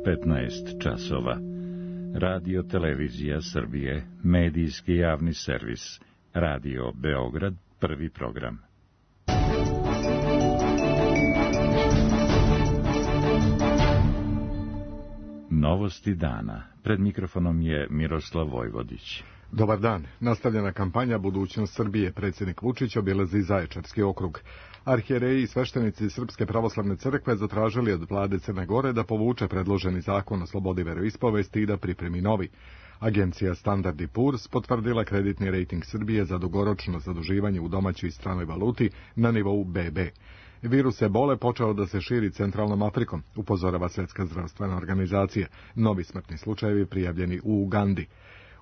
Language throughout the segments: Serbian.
15 časova. Radio Televizija Srbije, medijski javni servis. Radio Beograd, prvi program. Novosti dana. Pred mikrofonom je Miroslav Vojvodić. Dobar dan. Nastavljena kampanja Budućnost Srbije. Predsjednik Vučić obilazi Zaječarski okrug. Arhijereji i sveštenici Srpske pravoslavne crkve zatražili od vlade Crne Gore da povuče predloženi zakon o slobodi veroispovesti i da pripremi novi. Agencija Standard & Poor's potvrdila kreditni rejting Srbije za dugoročno zaduživanje u domaćoj i stranoj valuti na nivou BB. Virus ebole počeo da se širi centralnom Afrikom, upozorava Svjetska zdravstvena organizacija. Novi smrtni slučajevi prijavljeni u Ugandi.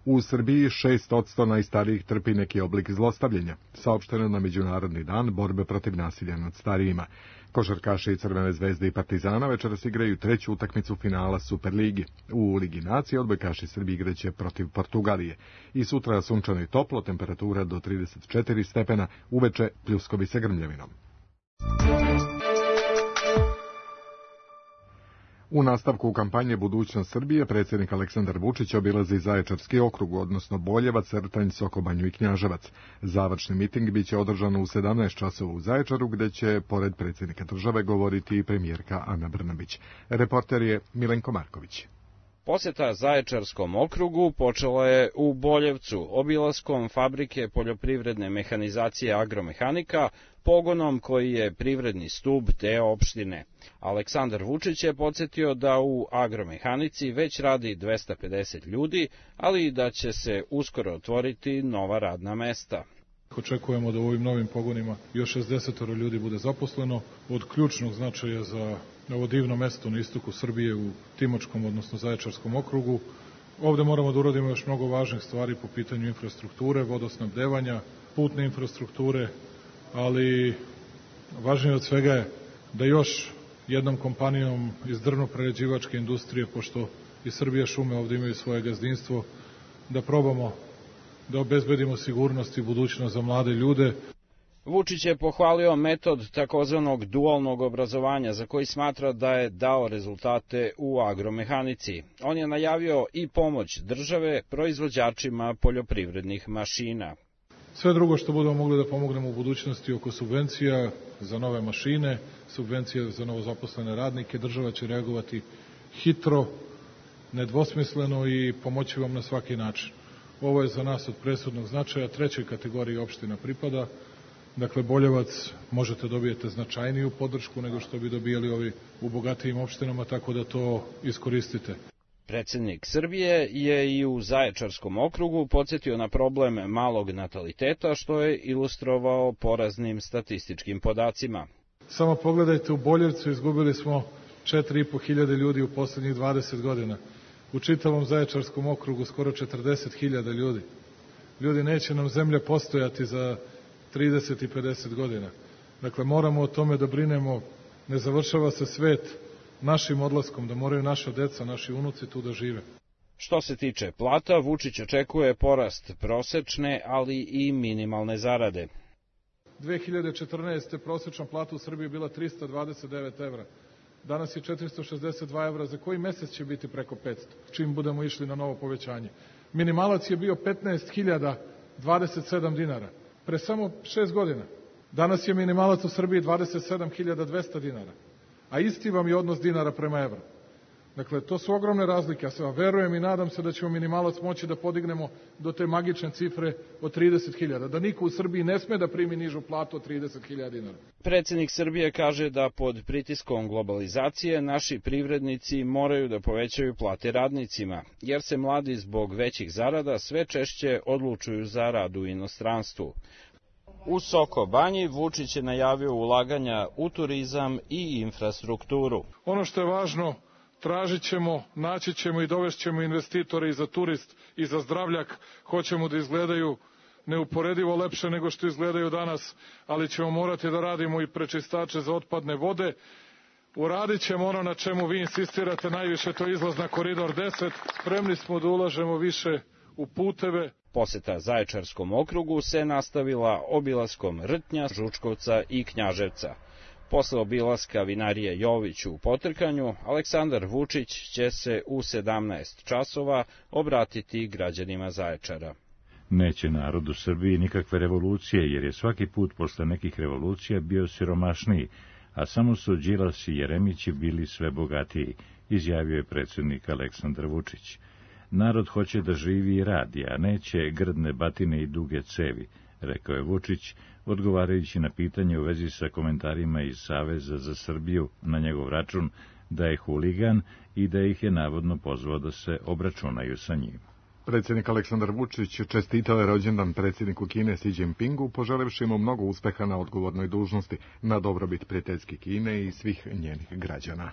U Srbiji 6% najstarijih trpi neki oblik zlostavljanja, saopšteno na Međunarodni dan borbe protiv nasilja nad starijima. Košarkaši Crvene zvezde i Partizana večeras igraju treću utakmicu finala Superligi. U Ligi nacije odbojkaši Srbije igraće protiv Portugalije. I sutra sunčano i toplo, temperatura do 34 stepena, uveče pljuskovi sa grmljavinom. U nastavku kampanje Budućnost Srbije, predsjednik Aleksandar Vučić obilazi Zaječarski okrug, odnosno Boljevac, Rtanj, Sokobanju i Knjaževac. Završni miting biće održan u 17 časova u Zaječaru, gde će, pored predsjednika države, govoriti i premijerka Ana Brnabić. Reporter je Milenko Marković. Posjeta Zaječarskom okrugu počela je u Boljevcu, obilaskom fabrike poljoprivredne mehanizacije Agromehanika, pogonom koji je privredni stub te opštine. Aleksandar Vučić je podsjetio da u Agromehanici već radi 250 ljudi, ali i da će se uskoro otvoriti nova radna mesta. Očekujemo da u ovim novim pogonima još 60 ljudi bude zaposleno, od ključnog značaja za ovo divno mesto na istoku Srbije u Timočkom, odnosno Zaječarskom okrugu. Ovde moramo da uradimo još mnogo važnih stvari po pitanju infrastrukture, vodosnabdevanja, putne infrastrukture, ali važnije od svega je da još jednom kompanijom iz drvno-prerađivačke industrije, pošto i Srbija šume ovde imaju svoje gazdinstvo, da probamo da obezbedimo sigurnost i budućnost za mlade ljude. Vučić je pohvalio metod takozvanog dualnog obrazovanja, za koji smatra da je dao rezultate u agromehanici. On je najavio i pomoć države proizvođačima poljoprivrednih mašina. Sve drugo što budemo mogli da pomognemo u budućnosti oko subvencija za nove mašine, subvencija za novozaposlene radnike, država će reagovati hitro, nedvosmisleno i pomoći vam na svaki način. Ovo je za nas od presudnog značaja, trećoj kategoriji opština pripada. Dakle, Boljevac možete dobijete značajniju podršku nego što bi dobijali ovi u bogatijim opštinama, tako da to iskoristite. Predsjednik Srbije je i u Zaječarskom okrugu podsjetio na problem malog nataliteta, što je ilustrovao poraznim statističkim podacima. Samo pogledajte, u Boljevcu izgubili smo 4.500 ljudi u poslednjih 20 godina. U čitavom Zaječarskom okrugu skoro 40.000 ljudi. Ljudi, neće nam zemlja postojati za 30 i 50 godina. Dakle, moramo o tome da brinemo. Ne završava se svet našim odlaskom, da moraju naša deca, naši unuci tu da žive. Što se tiče plata, Vučić očekuje porast prosečne, ali i minimalne zarade. 2014. prosečna plata u Srbiji bila 329 evra. Danas je 462 evra, za koji mesec će biti preko 500, čim budemo išli na novo povećanje. Minimalac je bio 15.027 dinara, pre samo 6 godina. Danas je minimalac u Srbiji 27.200 dinara, a isti vam je odnos dinara prema evru. Dakle, to su ogromne razlike, ja se verujem i nadam se da ćemo minimalac moći da podignemo do te magične cifre od 30.000, da niko u Srbiji ne sme da primi nižu platu od 30.000 dinara. Predsjednik Srbije kaže da pod pritiskom globalizacije naši privrednici moraju da povećaju plate radnicima, jer se mladi zbog većih zarada sve češće odlučuju za rad u inostranstvu. U Sokobanji Vučić je najavio ulaganja u turizam i infrastrukturu. Ono što je važno, tražit ćemo, naći ćemo i dovešćemo investitore i za turist i za zdravljak. Hoćemo da izgledaju neuporedivo lepše nego što izgledaju danas, ali ćemo morati da radimo i prečistače za otpadne vode. Uradit ćemo ono na čemu vi insistirate najviše, to je izlaz na Koridor 10. Spremni smo da ulažemo više u puteve. Poseta Zaječarskom okrugu se nastavila obilaskom Rtnja, Žučkovca i Knjaževca. Posle obilaska vinarije Jović u Potrkanju, Aleksandar Vučić će se u 17 časova obratiti građanima Zaječara. Neće narod u Srbiji nikakve revolucije, jer je svaki put posle nekih revolucija bio siromašniji, a samo su Đilas i Jeremići bili sve bogatiji, izjavio je predsjednik Aleksandar Vučić. Narod hoće da živi i radi, a neće grdne batine i duge cevi, rekao je Vučić, odgovarajući na pitanje u vezi sa komentarima iz Saveza za Srbiju na njegov račun da je huligan i da ih je navodno pozvao da se obračunaju sa njim. Predsjednik Aleksandar Vučić čestitao je rođendan predsjedniku Kine Xi Jinpingu, poželevši mu mnogo uspeha na odgovornoj dužnosti, na dobrobit prijateljske Kine i svih njenih građana.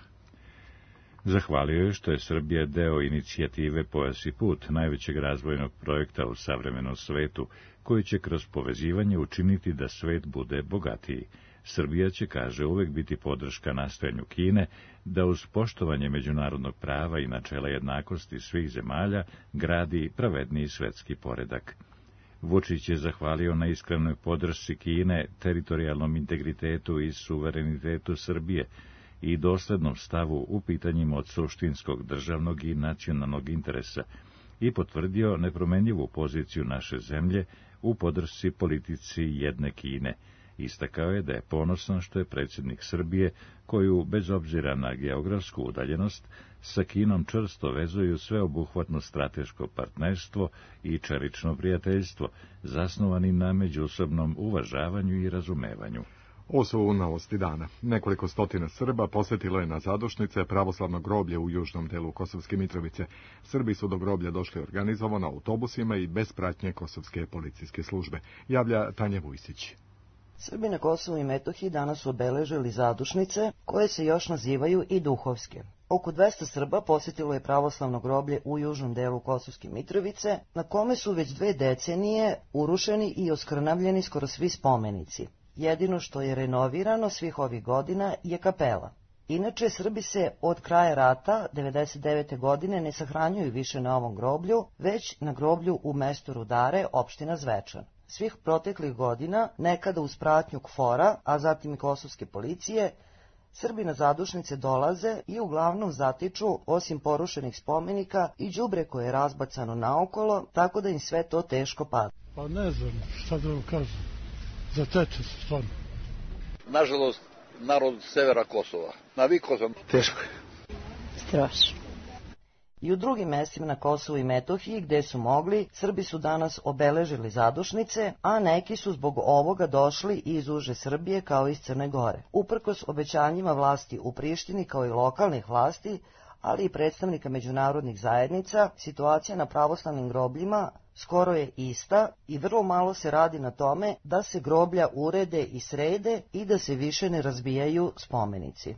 Zahvalio je što je Srbija deo inicijative Pojas i put, najvećeg razvojnog projekta u savremenom svetu, koji će kroz povezivanje učiniti da svet bude bogatiji. Srbija će, kaže, uvek biti podrška nastojanju Kine da uz poštovanje međunarodnog prava i načela jednakosti svih zemalja gradi pravedniji svetski poredak. Vučić je zahvalio na iskrenoj podršci Kine, teritorijalnom integritetu i suverenitetu Srbije i doslednom stavu u pitanjima od suštinskog državnog i nacionalnog interesa i potvrdio nepromenljivu poziciju naše zemlje u podršci politici jedne Kine. Istakao je da je ponosan što je predsjednik Srbije, koju, bez obzira na geografsku udaljenost, sa Kinom čvrsto vezuju sveobuhvatno strateško partnerstvo i čelično prijateljstvo, zasnovani na međusobnom uvažavanju i razumevanju. Ovo su novosti dana. Nekoliko stotina Srba posjetilo je na zadušnice pravoslavno groblje u južnom delu Kosovske Mitrovice. Srbi su do groblja došli organizovano autobusima i bez pratnje kosovske policijske službe. Javlja Tanja Vujsić. Srbi na Kosovu i Metohiji danas su obeležili zadušnice, koje se još nazivaju i duhovske. Oko 200 Srba posjetilo je pravoslavno groblje u južnom delu Kosovske Mitrovice, na kome su već 2 decenije urušeni i oskrnavljeni skoro svi spomenici. Jedino što je renovirano svih ovih godina je kapela. Inače, Srbi se od kraja rata, 1999. godine, ne sahranjuju više na ovom groblju, već na groblju u mestu Rudare, opština Zvečan. Svih proteklih godina, nekada uz pratnju KFOR-a, a zatim i kosovske policije, Srbi na zadušnice dolaze i uglavnom zatiču, osim porušenih spomenika, i đubre koje je razbacano naokolo, tako da im sve to teško pada. Pa ne znam šta da vam kažem, zateče se stvarno. Nažalost, narod severa Kosova. Navikao sam. Teško je. Strašno. I u drugim mestima na Kosovu i Metohiji, gde su mogli, Srbi su danas obeležili zadušnice, a neki su zbog ovoga došli i iz uže Srbije kao iz Crne Gore. Uprkos obećanjima vlasti u Prištini kao i lokalnih vlasti, ali i predstavnika međunarodnih zajednica, situacija na pravoslavnim grobljima skoro je ista i vrlo malo se radi na tome da se groblja urede i srede i da se više ne razbijaju spomenici.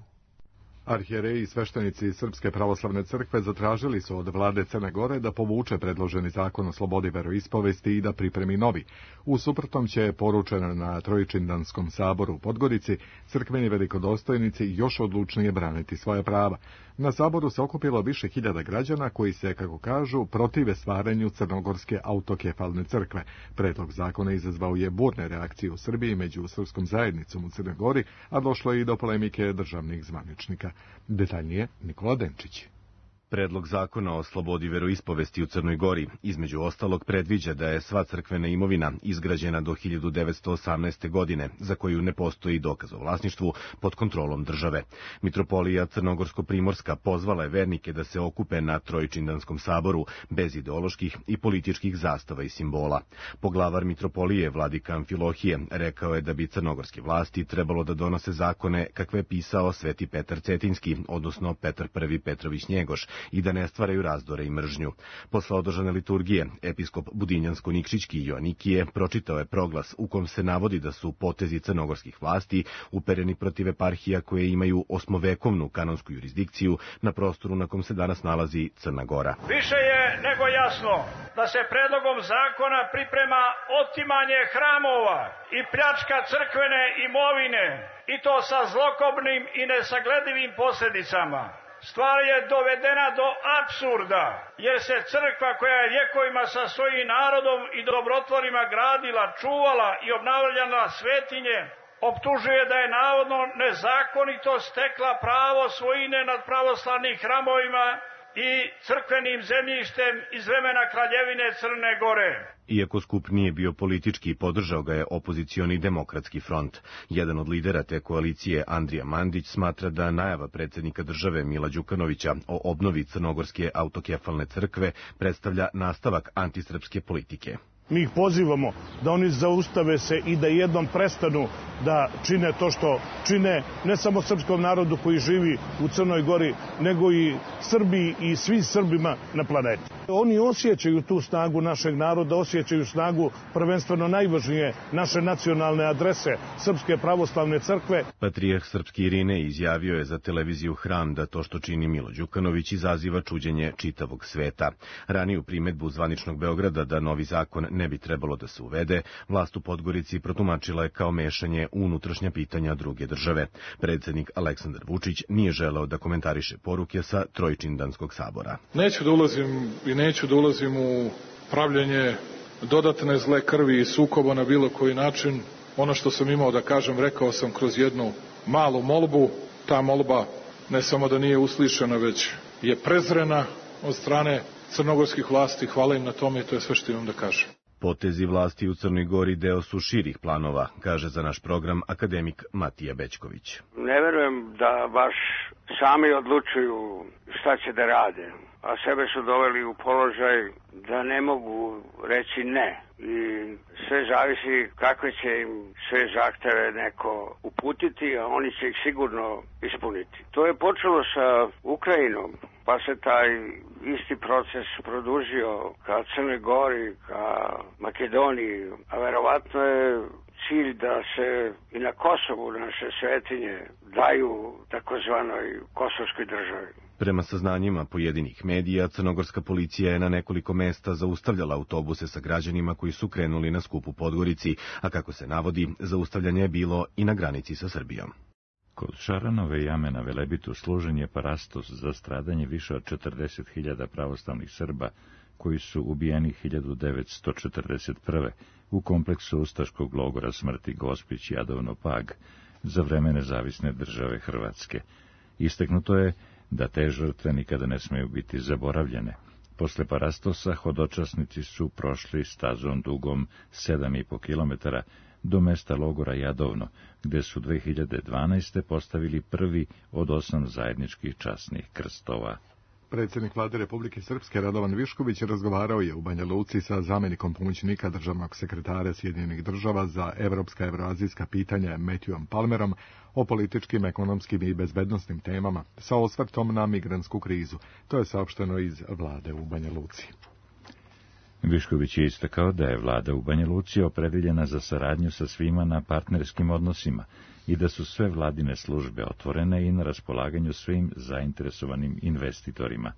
Arhijereji i sveštenici Srpske pravoslavne crkve zatražili su od vlade Crne Gore da povuče predloženi zakon o slobodi veroispovesti i da pripremi novi. U suprotnom će, poručeno na Trojičindanskom saboru u Podgorici, crkveni velikodostojnici još odlučnije braniti svoja prava. Na saboru se okupilo više hiljada građana koji se, kako kažu, protive stvaranju Crnogorske autokefalne crkve. Predlog zakona izazvao je burne reakcije u Srbiji među srpskom zajednicom u Crnoj Gori, a došlo je i do polemike državnih zvaničnika. Detaljnije Nikola Denčić. Predlog zakona o slobodi veroispovesti u Crnoj Gori između ostalog predviđa da je sva crkvena imovina izgrađena do 1918. godine, za koju ne postoji dokaz o vlasništvu, pod kontrolom države. Mitropolija Crnogorsko-Primorska pozvala je vernike da se okupe na Trojičindanskom saboru bez ideoloških i političkih zastava i simbola. Poglavar mitropolije vladika Amfilohije rekao je da bi crnogorske vlasti trebalo da donose zakone kakve je pisao Sveti Petar Cetinski, odnosno Petar I Petrović Njegoš, i da ne stvaraju razdore i mržnju. Posle održane liturgije, episkop Budinjansko-Nikšićki Joanikije pročitao je proglas u kom se navodi da su potezi crnogorskih vlasti upereni protiv eparhija koje imaju osmovekovnu kanonsku jurisdikciju na prostoru na kom se danas nalazi Crna Gora. Više je nego jasno da se predlogom zakona priprema otimanje hramova i pljačka crkvene imovine, i to sa zlokobnim i nesagledivim posljedicama. Stvar je dovedena do apsurda, jer se crkva koja je vjekovima sa svojim narodom i dobrotvorima gradila, čuvala i obnavljala svetinje, optužuje da je navodno nezakonito stekla pravo svojine nad pravoslavnim hramovima i crkvenim zemljištem iz vremena Kraljevine Crne Gore. Iako skup nije bio politički, podržao ga je opozicioni Demokratski front. Jedan od lidera te koalicije, Andrija Mandić, smatra da najava predsjednika države Mila Đukanovića o obnovi Crnogorske autokefalne crkve predstavlja nastavak antisrpske politike. Mi ih pozivamo da oni zaustave se i da jednom prestanu da čine to što čine, ne samo srpskom narodu koji živi u Crnoj Gori, nego i Srbiji i svim Srbima na planeti. Oni osjećaju tu snagu našeg naroda, osjećaju snagu prvenstveno najvažnije naše nacionalne adrese, Srpske pravoslavne crkve. Patrijarh srpski Irine izjavio je za televiziju Hram da to što čini Milo Đukanović izaziva čuđenje čitavog sveta. Raniju primedbu zvaničnog Beograda da novi zakon ne bi trebalo da se uvede, vlast u Podgorici protumačila je kao mešanje u unutrašnja pitanja druge države. Predsjednik Aleksandar Vučić nije želeo da komentariše poruke sa Trojčindanskog sabora. Neću da ulazim u pravljenje dodatne zle krvi i sukoba na bilo koji način. Ono što sam imao da kažem, rekao sam kroz jednu malu molbu. Ta molba ne samo da nije uslišena, već je prezrena od strane crnogorskih vlasti. Hvala im na tome i to je sve što imam da kažem. Potezi vlasti u Crnoj Gori deo su širih planova, kaže za naš program akademik Matija Bećković. Ne verujem da baš sami odlučuju šta će da rade, a sebe su doveli u položaj da ne mogu reći ne. I sve zavisi kakve će im sve zahteve neko uputiti, a oni će ih sigurno ispuniti. To je počelo sa Ukrajinom, pa se taj isti proces produžio ka Crnoj Gori, ka Makedoniji, a verovatno je cilj da se i na Kosovu naše svetinje daju takozvanoj kosovskoj državi. Prema saznanjima pojedinih medija, crnogorska policija je na nekoliko mesta zaustavljala autobuse sa građanima koji su krenuli na skup u Podgorici, a kako se navodi, zaustavljanje je bilo i na granici sa Srbijom. Kod Šaranove jame na Velebitu služen je parastos za stradanje više od 40.000 pravoslavnih Srba, koji su ubijeni 1941. u kompleksu ustaškog logora smrti Gospić Jadovno Pag za vreme nezavisne države Hrvatske. Istaknuto je da te žrtve nikada ne smeju biti zaboravljene. Posle parastosa hodočasnici su prošli stazom dugom 7,5 km do mesta logora Jadovno, gde su 2012. postavili prvi od 8 zajedničkih časnih krstova. Predsjednik vlade Republike Srpske Radovan Višković razgovarao je u Banja Luci sa zamjenikom pomoćnika državnog sekretara Sjedinjenih država za evropska i evroazijska pitanja Matthewom Palmerom o političkim, ekonomskim i bezbednosnim temama sa osvrtom na migrantsku krizu. To je saopšteno iz vlade u Banja Luci. Višković je istakao da je vlada u Banja Luci opredeljena za saradnju sa svima na partnerskim odnosima i da su sve vladine službe otvorene i na raspolaganju svim zainteresovanim investitorima.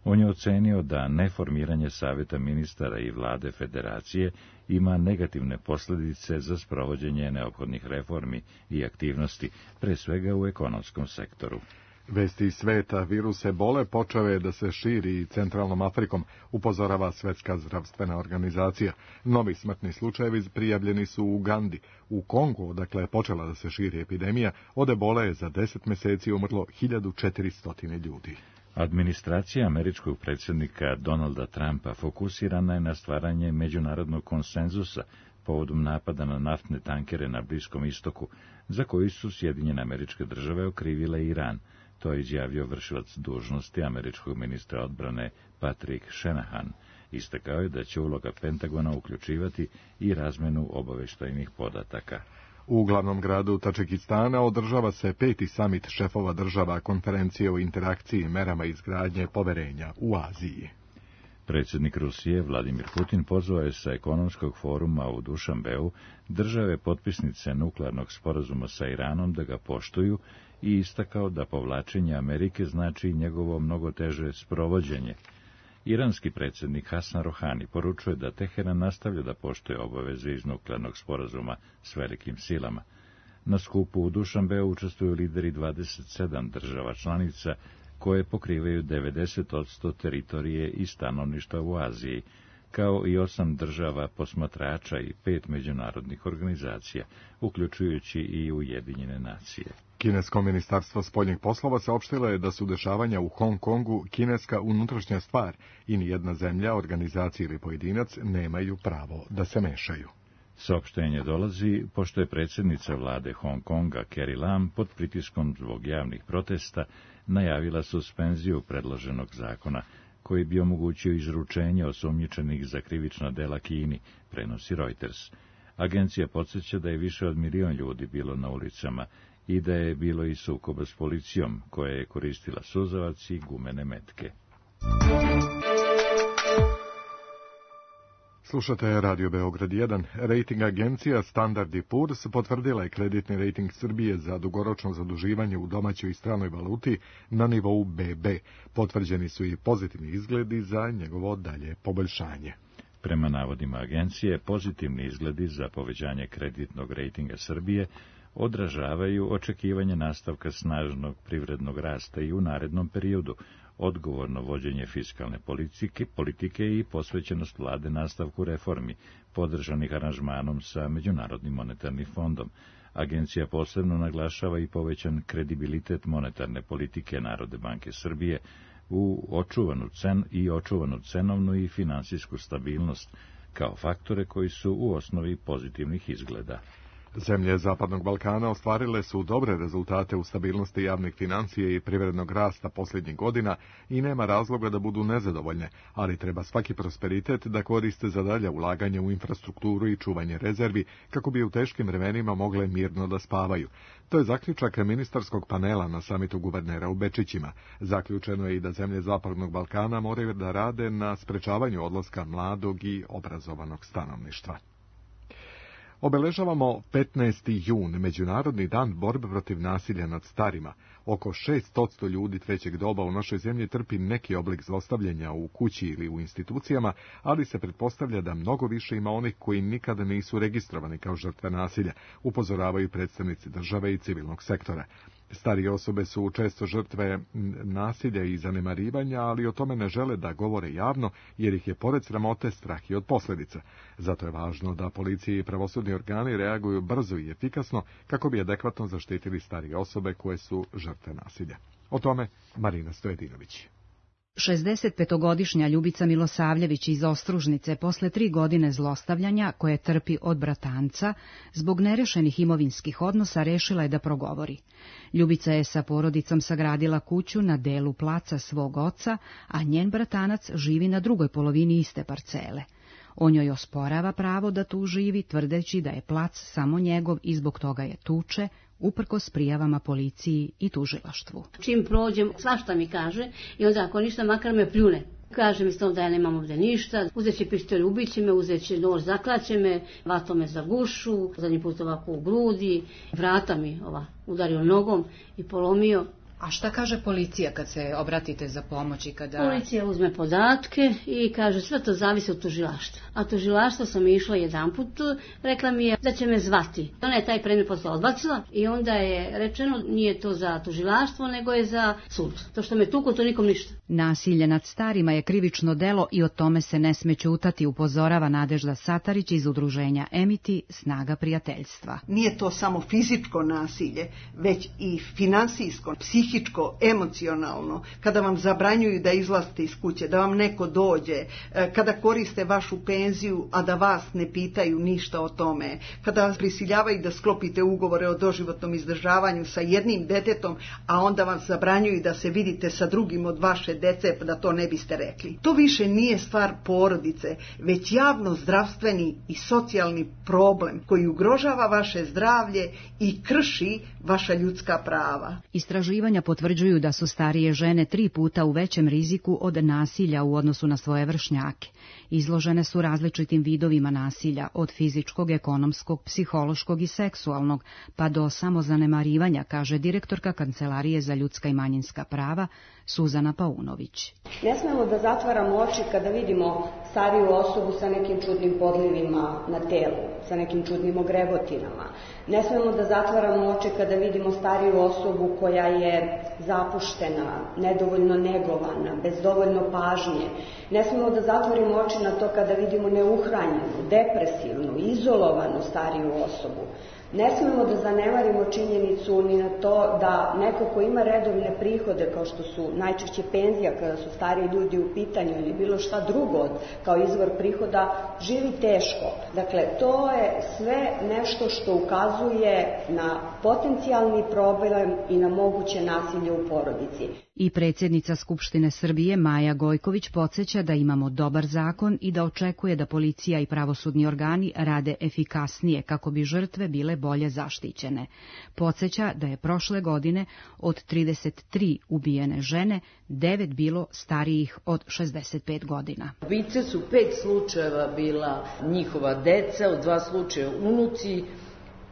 On je ocenio da neformiranje savjeta ministara i vlade federacije ima negativne posljedice za sprovođenje neophodnih reformi i aktivnosti, pre svega u ekonomskom sektoru. Vesti iz sveta, virus ebole počeo je da se širi centralnom Afrikom, upozorava Svjetska zdravstvena organizacija. Novi smrtni slučajevi prijavljeni su u Ugandi. U Kongu, odakle je počela da se širi epidemija, od ebole je za 10 mjeseci umrlo 1400 ljudi. Administracija američkog predsjednika Donalda Trumpa fokusirana je na stvaranje međunarodnog konsenzusa povodom napada na naftne tankere na Bliskom istoku, za koji su Sjedinjene Američke Države okrivile Iran. To je izjavio vršilac dužnosti američkog ministra odbrane Patrick Shanahan. Istakao je da će uloga Pentagona uključivati i razmenu obavještajnih podataka. U glavnom gradu Tadžikistana održava se 5. samit šefova država konferencije o interakciji i merama izgradnje poverenja u Aziji. Predsjednik Rusije Vladimir Putin pozvao je sa ekonomskog foruma u Dušanbeu države potpisnice nuklearnog sporazuma sa Iranom da ga poštuju i istakao da povlačenje Amerike znači njegovo mnogo teže sprovođenje. Iranski predsjednik Hasan Rohani poručuje da Teheran nastavlja da poštuje obaveze iz nuklearnog sporazuma s velikim silama. Na skupu u Dušanbeu učestvuju lideri 27 država članica koje pokrivaju 90% teritorije i stanovništva u Aziji. kao i 8 država posmatrača i 5 međunarodnih organizacija, uključujući i Ujedinjene nacije. Kinesko ministarstvo spoljnih poslova saopštilo je da su dešavanja u Hong Kongu kineska unutrašnja stvar i nijedna zemlja, organizacija ili pojedinac nemaju pravo da se mešaju. Saopštenje dolazi pošto je predsjednica vlade Hong Konga Carrie Lam pod pritiskom zbog javnih protesta najavila suspenziju predloženog zakona koji bi omogućio izručenje osumnjičenih za krivična dela Kini, prenosi Reuters. Agencija podsjeća da je više od 1 milion ljudi bilo na ulicama i da je bilo i sukoba s policijom, koja je koristila suzavac i gumene metke. Slušate Radio Beograd 1. Rating agencija Standard & Poor's potvrdila je kreditni rating Srbije za dugoročno zaduživanje u domaćoj i stranoj valuti na nivou BB. Potvrđeni su i pozitivni izgledi za njegovo dalje poboljšanje. Prema navodima agencije, pozitivni izgledi za povećanje kreditnog rejtinga Srbije odražavaju očekivanje nastavka snažnog privrednog rasta i u narednom periodu, odgovorno vođenje fiskalne politike i posvećenost vlade nastavku reformi, podržanih aranžmanom sa Međunarodnim monetarnim fondom. Agencija posebno naglašava i povećan kredibilitet monetarne politike Narodne banke Srbije u očuvanu cenovnu i finansijsku stabilnost kao faktore koji su u osnovi pozitivnih izgleda. Zemlje Zapadnog Balkana ostvarile su dobre rezultate u stabilnosti javnih financija i privrednog rasta posljednjih godina i nema razloga da budu nezadovoljne, ali treba svaki prosperitet da koriste za dalje ulaganje u infrastrukturu i čuvanje rezervi kako bi u teškim vremenima mogle mirno da spavaju. To je zaključak ministarskog panela na samitu guvernera u Bečićima. Zaključeno je i da zemlje Zapadnog Balkana moraju da rade na sprečavanju odlaska mladog i obrazovanog stanovništva. Obeležavamo 15. jun, Međunarodni dan borbe protiv nasilja nad starima. Oko 600 ljudi trećeg doba u našoj zemlji trpi neki oblik zlostavljanja u kući ili u institucijama, ali se pretpostavlja da mnogo više ima onih koji nikada nisu registrovani kao žrtve nasilja, upozoravaju predstavnici države i civilnog sektora. Starije osobe su često žrtve nasilja i zanemarivanja, ali o tome ne žele da govore javno, jer ih je pored sramote strah i od posljedica. Zato je važno da policija i pravosudni organi reaguju brzo i efikasno kako bi adekvatno zaštitili starije osobe koje su žrtve nasilja. O tome Marina Stojedinović. 65-godišnja Ljubica Milosavljević iz Ostružnice posle 3 godine zlostavljanja koje trpi od bratanca zbog nerešenih imovinskih odnosa rešila je da progovori. Ljubica je sa porodicom sagradila kuću na delu placa svog oca, a njen bratanac živi na drugoj polovini iste parcele. On joj osporava pravo da tu živi, tvrdeći da je plac samo njegov i zbog toga je tuče, uprkos prijavama policiji i tužilaštvu. Čim prođem, svašta mi kaže i onda ako ništa, makar me pljune. Kaže mi da ja nemam ovdje ništa, uzet će pištolj, ubit će me, uzet će nož, zaklaće me, vatom me za gušu, zadnji put ovako u grudi, vrata mi udario nogom i polomio. A šta kaže policija kad se obratite za pomoć i kada... Policija uzme podatke i kaže sve to zavisi od tužilaštva. A tužilaštvo sam išla jedanput, rekla mi je da će me zvati. Ona je taj predmet posle odbacila i onda je rečeno nije to za tužilaštvo nego je za sud. To što me tuku, to nikom ništa. Nasilje nad starima je krivično delo i o tome se ne sme ćutati, upozorava Nadežda Satarić iz udruženja Emiti, Snaga prijateljstva. Nije to samo fizičko nasilje, već i finansijsko, psihičko, emocionalno, kada vam zabranjuju da izlazite iz kuće, da vam neko dođe, kada koriste vašu penziju, a da vas ne pitaju ništa o tome, kada vas prisiljavaju da sklopite ugovore o doživotnom izdržavanju sa jednim detetom, a onda vam zabranjuju da se vidite sa drugim od vaše dece, da to ne biste rekli. To više nije stvar porodice, već javno zdravstveni i socijalni problem koji ugrožava vaše zdravlje i krši vaša ljudska prava. Istraživanja potvrđuju da su starije žene 3 puta u većem riziku od nasilja u odnosu na svoje vršnjake. Izložene su različitim vidovima nasilja, od fizičkog, ekonomskog, psihološkog i seksualnog, pa do samozanemarivanja, kaže direktorka Kancelarije za ljudska i manjinska prava Suzana Paunović. Ne smemo da zatvaramo oči kada vidimo stariju osobu sa nekim čudnim podlivima na telu, sa nekim čudnim ogrevotinama. Ne smemo da zatvaramo oči kada vidimo stariju osobu koja je zapuštena, nedovoljno negovana, bez dovoljno pažnje. Ne smemo da zatvorimo zatvorimo oči na to kada vidimo neuhranjenu, depresivnu, izolovanu stariju osobu. Ne smemo da zanemarimo činjenicu ni na to da neko ko ima redovne prihode, kao što su najčešće penzija kada su stariji ljudi u pitanju ili bilo šta drugo kao izvor prihoda, živi teško. Dakle, to je sve nešto što ukazuje na potencijalni problem i na moguće nasilje u porodici. I predsjednica Skupštine Srbije Maja Gojković podsjeća da imamo dobar zakon i da očekuje da policija i pravosudni organi rade efikasnije kako bi žrtve bile bolje zaštićene. Podsjeća da je prošle godine od 33 ubijene žene 9 bilo starijih od 65 godina. Ubice su 5 slučajeva bila njihova deca, u 2 slučaja unuci,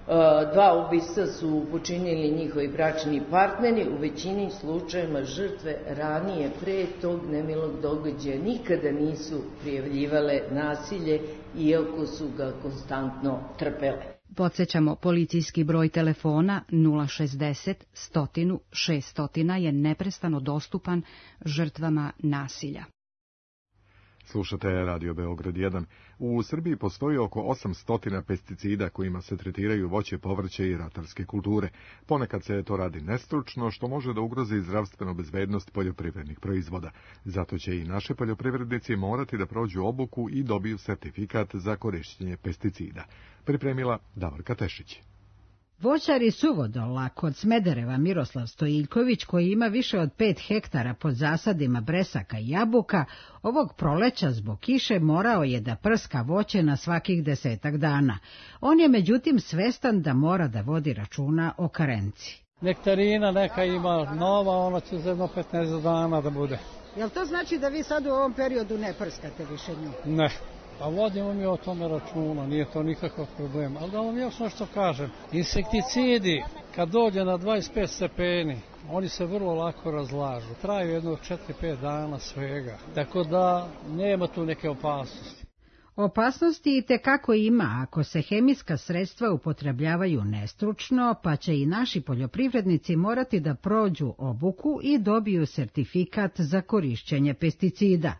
2 ubistva su počinili njihovi bračni partneri, u većini slučajeva žrtve ranije pre tog nemilog događaja nikada nisu prijavljivale nasilje, iako su ga konstantno trpele. Podsjećamo, policijski broj telefona 060 100 600 je neprestano dostupan žrtvama nasilja. Slušate Radio Beograd 1. U Srbiji postoji oko 800 pesticida kojima se tretiraju voće, povrće i ratarske kulture. Ponekad se to radi nestručno, što može da ugrozi zdravstvenu bezbednost poljoprivrednih proizvoda. Zato će i naši poljoprivrednici morati da prođu obuku i dobiju sertifikat za korišćenje pesticida. Pripremila Davorka Tešić. Voćar iz Suvodola kod Smedereva Miroslav Stojiljković, koji ima više od 5 hektara pod zasadima bresaka i jabuka, ovog proleća zbog kiše morao je da prska voće na svakih 10 dana. On je međutim svestan da mora da vodi računa o karenci. Nektarina neka ima nova, ona će za 15 dana da bude. Jel to znači da vi sad u ovom periodu ne prskate više nju? Ne. Pa vodimo mi o tome računa, nije to nikakav problem. Ali da vam još nešto kažem, insekticidi kad dođe na 25 stepeni, oni se vrlo lako razlažu. Traju jedno 4-5 dana svega, tako da nema tu neke opasnosti. Opasnosti i tekako ima ako se hemijska sredstva upotrebljavaju nestručno, pa će i naši poljoprivrednici morati da prođu obuku i dobiju sertifikat za korišćenje pesticida.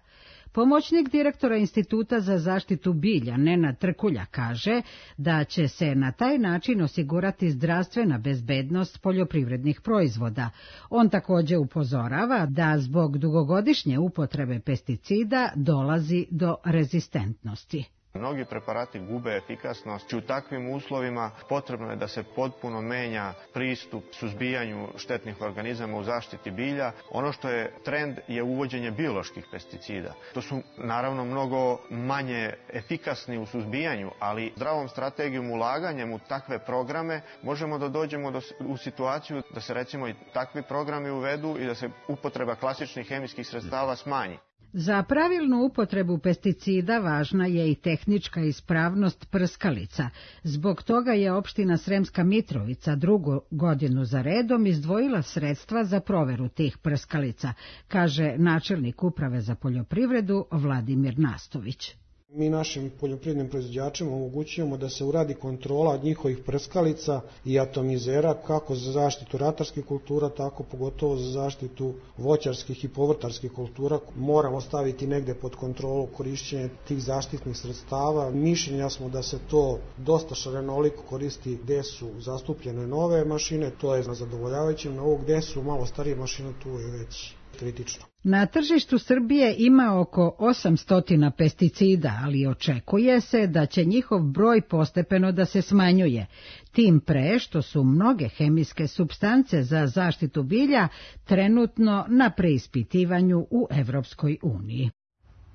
Pomoćnik direktora Instituta za zaštitu bilja Nenad Trkulja kaže da će se na taj način osigurati zdravstvena bezbednost poljoprivrednih proizvoda. On također upozorava da zbog dugogodišnje upotrebe pesticida dolazi do rezistentnosti. Mnogi preparati gube efikasnost i u takvim uslovima potrebno je da se potpuno menja pristup suzbijanju štetnih organizama u zaštiti bilja. Ono što je trend je uvođenje bioloških pesticida. To su naravno mnogo manje efikasni u suzbijanju, ali zdravom strategijom ulaganjem u takve programe možemo da dođemo u situaciju da se recimo i takvi programi uvedu i da se upotreba klasičnih hemijskih sredstava smanji. Za pravilnu upotrebu pesticida važna je i tehnička ispravnost prskalica. Zbog toga je opština Sremska Mitrovica 2. godinu za redom izdvojila sredstva za proveru tih prskalica, kaže načelnik Uprave za poljoprivredu Vladimir Nastović. Mi našim poljoprivrednim proizvođačima omogućujemo da se uradi kontrola njihovih prskalica i atomizera kako za zaštitu ratarskih kultura, tako pogotovo za zaštitu voćarskih i povrtarskih kultura. Moramo staviti negde pod kontrolu korišćenje tih zaštitnih sredstava. Mišljenja smo da se to dosta šarenoliko koristi gde su zastupljene nove mašine, to je na zadovoljavajućem, na ovo gde su malo starije mašine, tu je već kritično. Na tržištu Srbije ima oko 800 pesticida, ali očekuje se da će njihov broj postepeno da se smanjuje. Tim pre što su mnoge hemijske supstance za zaštitu bilja trenutno na preispitivanju u Evropskoj uniji.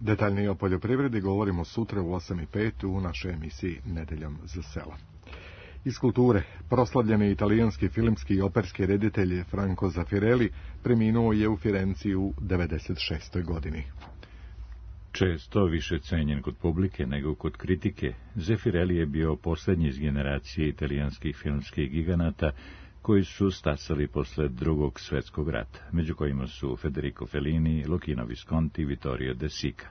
Detaljnije o poljoprivredi govorimo sutra u 8:05 u našoj emisiji Nedeljom za selo. Iz kulture, proslavljeni italijanski filmski i operski reditelj Franco Zeffirelli preminuo je u Firenci u 96. godini. Često više cenjen kod publike nego kod kritike, Zeffirelli je bio posljednji iz generacije italijanskih filmskih giganata koji su stasali posle Drugog svjetskog rata, među kojima su Federico Fellini, Luchino Visconti i Vittorio De Sica.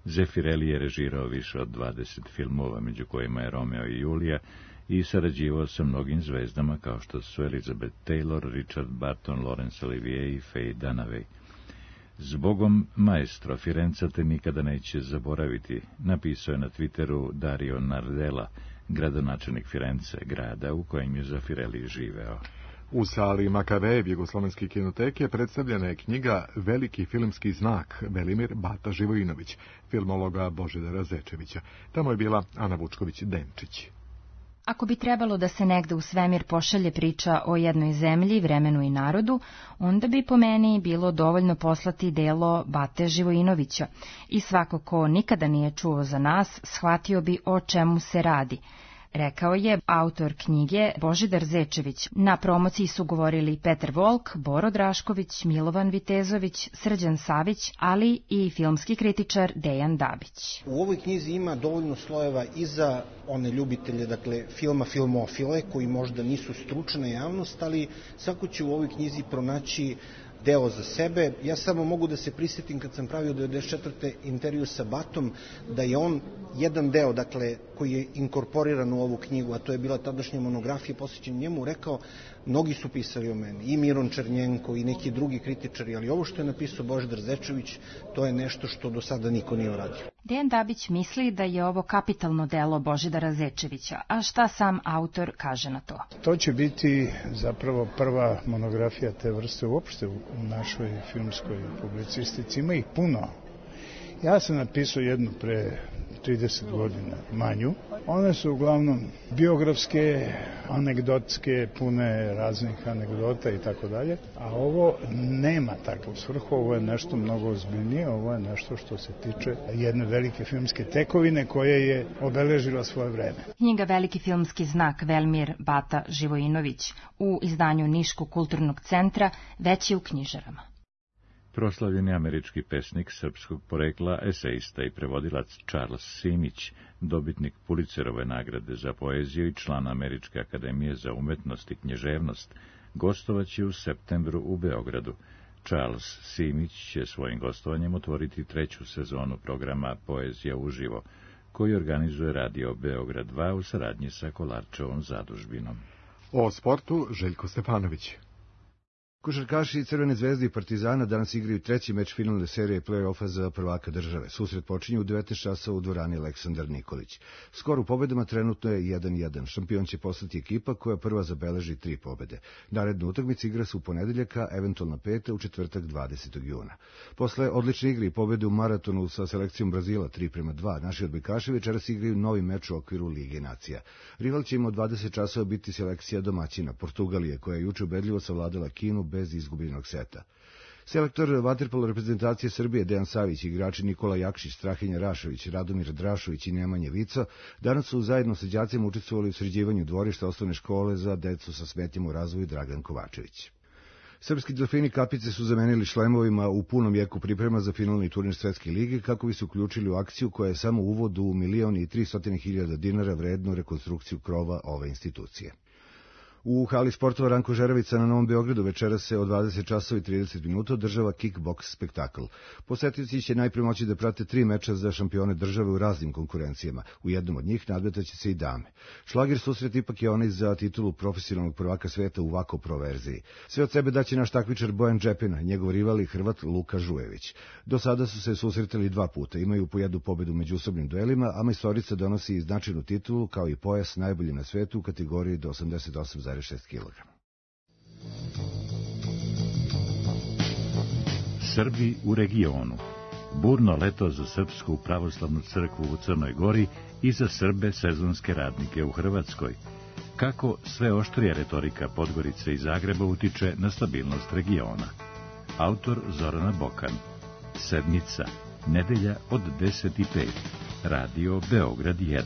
Zeffirelli je režirao više od 20 filmova, među kojima je Romeo i Julija, i sarađivao sa mnogim zvezdama kao što su Elizabeth Taylor, Richard Burton, Laurence Olivier i Faye Dunaway. Zbogom maestro, Firenca te nikada neće zaboraviti, napisao je na Twitteru Dario Nardella, gradonačelnik Firence, grada u kojem je Zafirelli živeo. U sali Makavejev Jugoslovenske kinoteke predstavljena je knjiga Veliki filmski znak Velimir Bata Živojinović, filmologa Božidara Zečevića. Tamo je bila Ana Vučković-Denčić. Ako bi trebalo da se negde u svemir pošalje priča o jednoj zemlji, vremenu i narodu, onda bi po meni bilo dovoljno poslati delo Bate Živojinovića i svako ko nikada nije čuo za nas, shvatio bi o čemu se radi. Rekao je autor knjige Božidar Zečević. Na promociji su govorili Petar Volk, Boro Drašković, Milovan Vitezović, Srđan Savić, ali i filmski kritičar Dejan Dabić. U ovoj knjizi ima dovoljno slojeva i za one ljubitelje, dakle, filmofile, koji možda nisu stručna javnost, ali svako će u ovoj knjizi pronaći deo za sebe. Ja samo mogu da se prisjetim kad sam pravio 94. intervju sa Batom, da je on jedan deo, dakle, koji je inkorporiran u ovu knjigu, a to je bila tadašnja monografija posvećena njemu, rekao, mnogi su pisali o meni, i Miron Černjenko i neki drugi kritičari, ali ovo što je napisao Božidar Zečević, to je nešto što do sada niko nije uradio. Dejan Dabić misli da je ovo kapitalno delo Božidara Zečevića, a šta sam autor kaže na to? To će biti zapravo prva monografija te vrste uopšte u našoj filmskoj publicistici. Ima ih puno. Ja sam napisao jednu pre 30 godina, manju. One su uglavnom biografske, anegdotske, pune raznih anegdota i tako dalje. A ovo nema takvu svrhu, ovo je nešto mnogo ozbiljnije, ovo je nešto što se tiče jedne velike filmske tekovine koja je obeležila svoje vreme. Knjiga Veliki filmski znak Velimir Bata Živojinović u izdanju Niškog kulturnog centra već je u knjižarama. Proslavljeni američki pesnik srpskog porekla, esejista i prevodilac Charles Simić, dobitnik Pulitzerove nagrade za poeziju i član Američke akademije za umetnost i književnost, gostovaće u septembru u Beogradu. Charles Simić će svojim gostovanjem otvoriti 3. sezonu programa Poezija uživo, koji organizuje Radio Beograd 2 u saradnji sa Kolarčevom zadužbinom. O sportu Željko Stefanović. Košarkaši Crvene zvezde i Partizana danas igraju treći meč finalne serije play-offa za prvaka države. Susret počinje u 19 časova u dvorani Aleksandar Nikolić. Skor u pobedama trenutno je 1-1. Šampion će postati ekipa koja prva zabeleži 3 pobede. Naredna utakmica igra se u ponedeljak, a eventualna peta u četvrtak 20. juna. Posle odlične igre i pobede u maratonu sa selekcijom Brazila 3:2, naši odbojkaši večeras igraju novi meč u okviru Lige nacija. Rival će im od 20 časova biti selekcija domaćina Portugalije, koja je juče ubedljivo savladala Kinu bez izgubljenog seta. Selektor vaterpolo reprezentacije Srbije Dejan Savić, igrači Nikola Jakšić, Strahinja Rašović, Radomir Drašović i Nemanja Vico danas su zajedno sa đacima učestvovali u sređivanju dvorišta osnovne škole za decu sa smetnjama u razvoju Dragan Kovačević. Srpski delfini kapice su zamenili šlemovima u punom jeku priprema za finalni turnir Svetske lige kako bi se uključili u akciju koja je samo uvod u 1.300.000 dinara vrednu rekonstrukciju krova ove institucije. U hali sportova Ranko Žeravica na Novom Beogradu večeras se od 20 časova i 30 minuta održava kickboks spektakl. Posetioci će najprije moći da prate 3 meča za šampione države u raznim konkurencijama. U jednom od njih nadmetaće se i dame. Šlagir susret ipak je onaj za titulu profesionalnog prvaka sveta u Vako Pro verziji. Sve od sebe daće naš takmičar Bojan Džepina, njegov rival i Hrvat Luka Žujević. Do sada su se susretali 2 puta, imaju po jednu pobedu u međusobnim duelima, a majstorica donosi i značajnu titulu kao i pojas najbolji na svetu u kategoriji do 88,6 kg. Srbi u regionu. Burno leto za Srpsku pravoslavnu crkvu u Crnoj Gori i za Srbe sezonske radnike u Hrvatskoj. Kako sve oštrija retorika Podgorice i Zagreba utiče na stabilnost regiona. Autor Zorana Bokan. Sedmica. Nedelja od 10:05. Radio Beograd 1.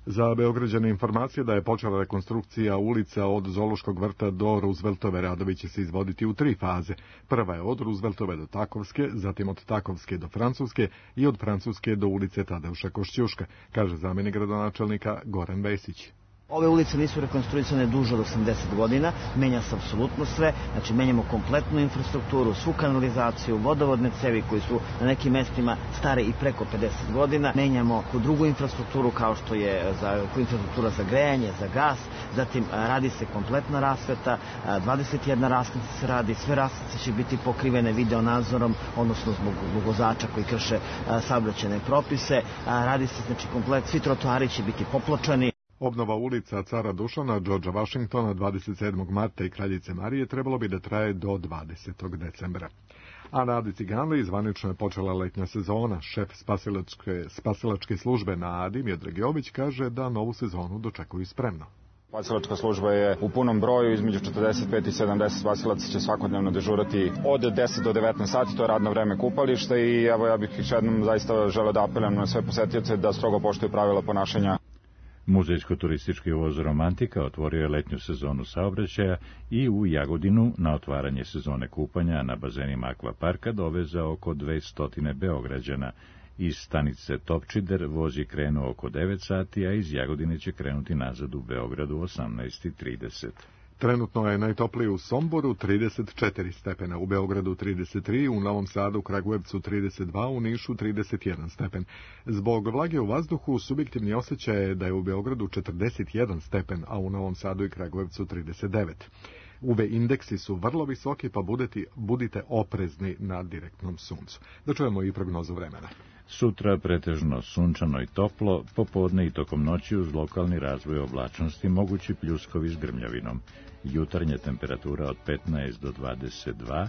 Za Beograđane informacije da je počela rekonstrukcija ulica od Zoološkog vrta do Rooseveltove. Radovi će se izvoditi u 3 faze. Prva je od Rooseveltove do Takovske, zatim od Takovske do Francuske i od Francuske do ulice Tadeuša Košćuška, kaže zamjenik gradonačelnika Goran Vesić. Ove ulice nisu rekonstruisane duže od 80 godina, menja se apsolutno sve, znači menjamo kompletnu infrastrukturu, svu kanalizaciju, vodovodne cevi koji su na nekim mestima stare i preko 50 godina, menjamo drugu infrastrukturu kao što je infrastruktura za grejanje, za gas, zatim radi se kompletna rasveta, 21 raskrsnica se radi, sve raskrsnice će biti pokrivene video nadzorom, odnosno zbog vozača koji krše saobraćajne propise, radi se znači komplet, svi trotoari će biti popločani. Obnova ulica Cara Dušana, Đorđa Vašingtona, 27. marta i Kraljice Marije trebalo bi da traje do 20. decembra. A na Adi Ciganliji zvanično je počela letnja sezona. Šef spasilačke službe na Adi, Miodrag Jović, kaže da novu sezonu dočekuju spremno. Spasilačka služba je u punom broju, između 45 i 70 spasilaca će svakodnevno dežurati od 10 do 19 sati, to je radno vreme kupališta i evo ja bih još jednom zaista želeo da apelujem na sve posetioce da strogo poštuju pravila ponašanja. Muzejsko-turistički voz Romantika otvorio je letnju sezonu saobraćaja i u Jagodinu na otvaranje sezone kupanja na bazenima akvaparka dovezao oko 200 Beograđana. Iz stanice Topčider voz je krenuo oko 9 sati, a iz Jagodine će krenuti nazad u Beogradu 18:30. Trenutno je najtoplije u Somboru 34 stepena, u Beogradu 33, u Novom Sadu, Kragujevcu 32, u Nišu 31 stepen. Zbog vlage u vazduhu subjektivni osjećaj je da je u Beogradu 41 stepen, a u Novom Sadu i Kragujevcu 39. UV indeksi su vrlo visoki, pa budite oprezni na direktnom suncu. Da čujemo i prognozu vremena. Sutra pretežno sunčano i toplo, popodne i tokom noći uz lokalni razvoj oblačnosti mogući pljuskovi s grmljavinom. Jutarnja temperatura od 15 do 22,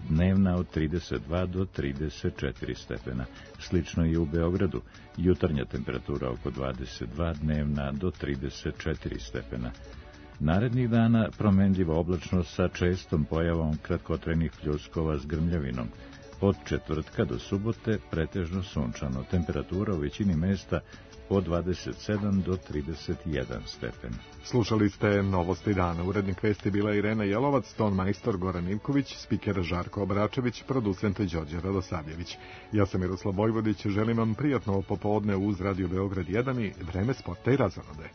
dnevna od 32 do 34 stepena. Slično i u Beogradu. Jutarnja temperatura oko 22, dnevna do 34 stepena. Narednih dana promenljiva oblačnost sa čestom pojavom kratkotrajnih pljuskova s grmljavinom. Od četvrtka do subote pretežno sunčano, temperatura u većini mesta od 27 do 31 stepen. Slušali ste Novosti dana. Urednik vesti bila Irena Jelovac, ton majstor Goran Ivković, spiker Žarko Obračević, producent Đorđe Radosavljević. Ja sam Miroslav Vojvodić, želim vam prijatno popodne uz Radio Beograd 1 i vreme sporta i razonode.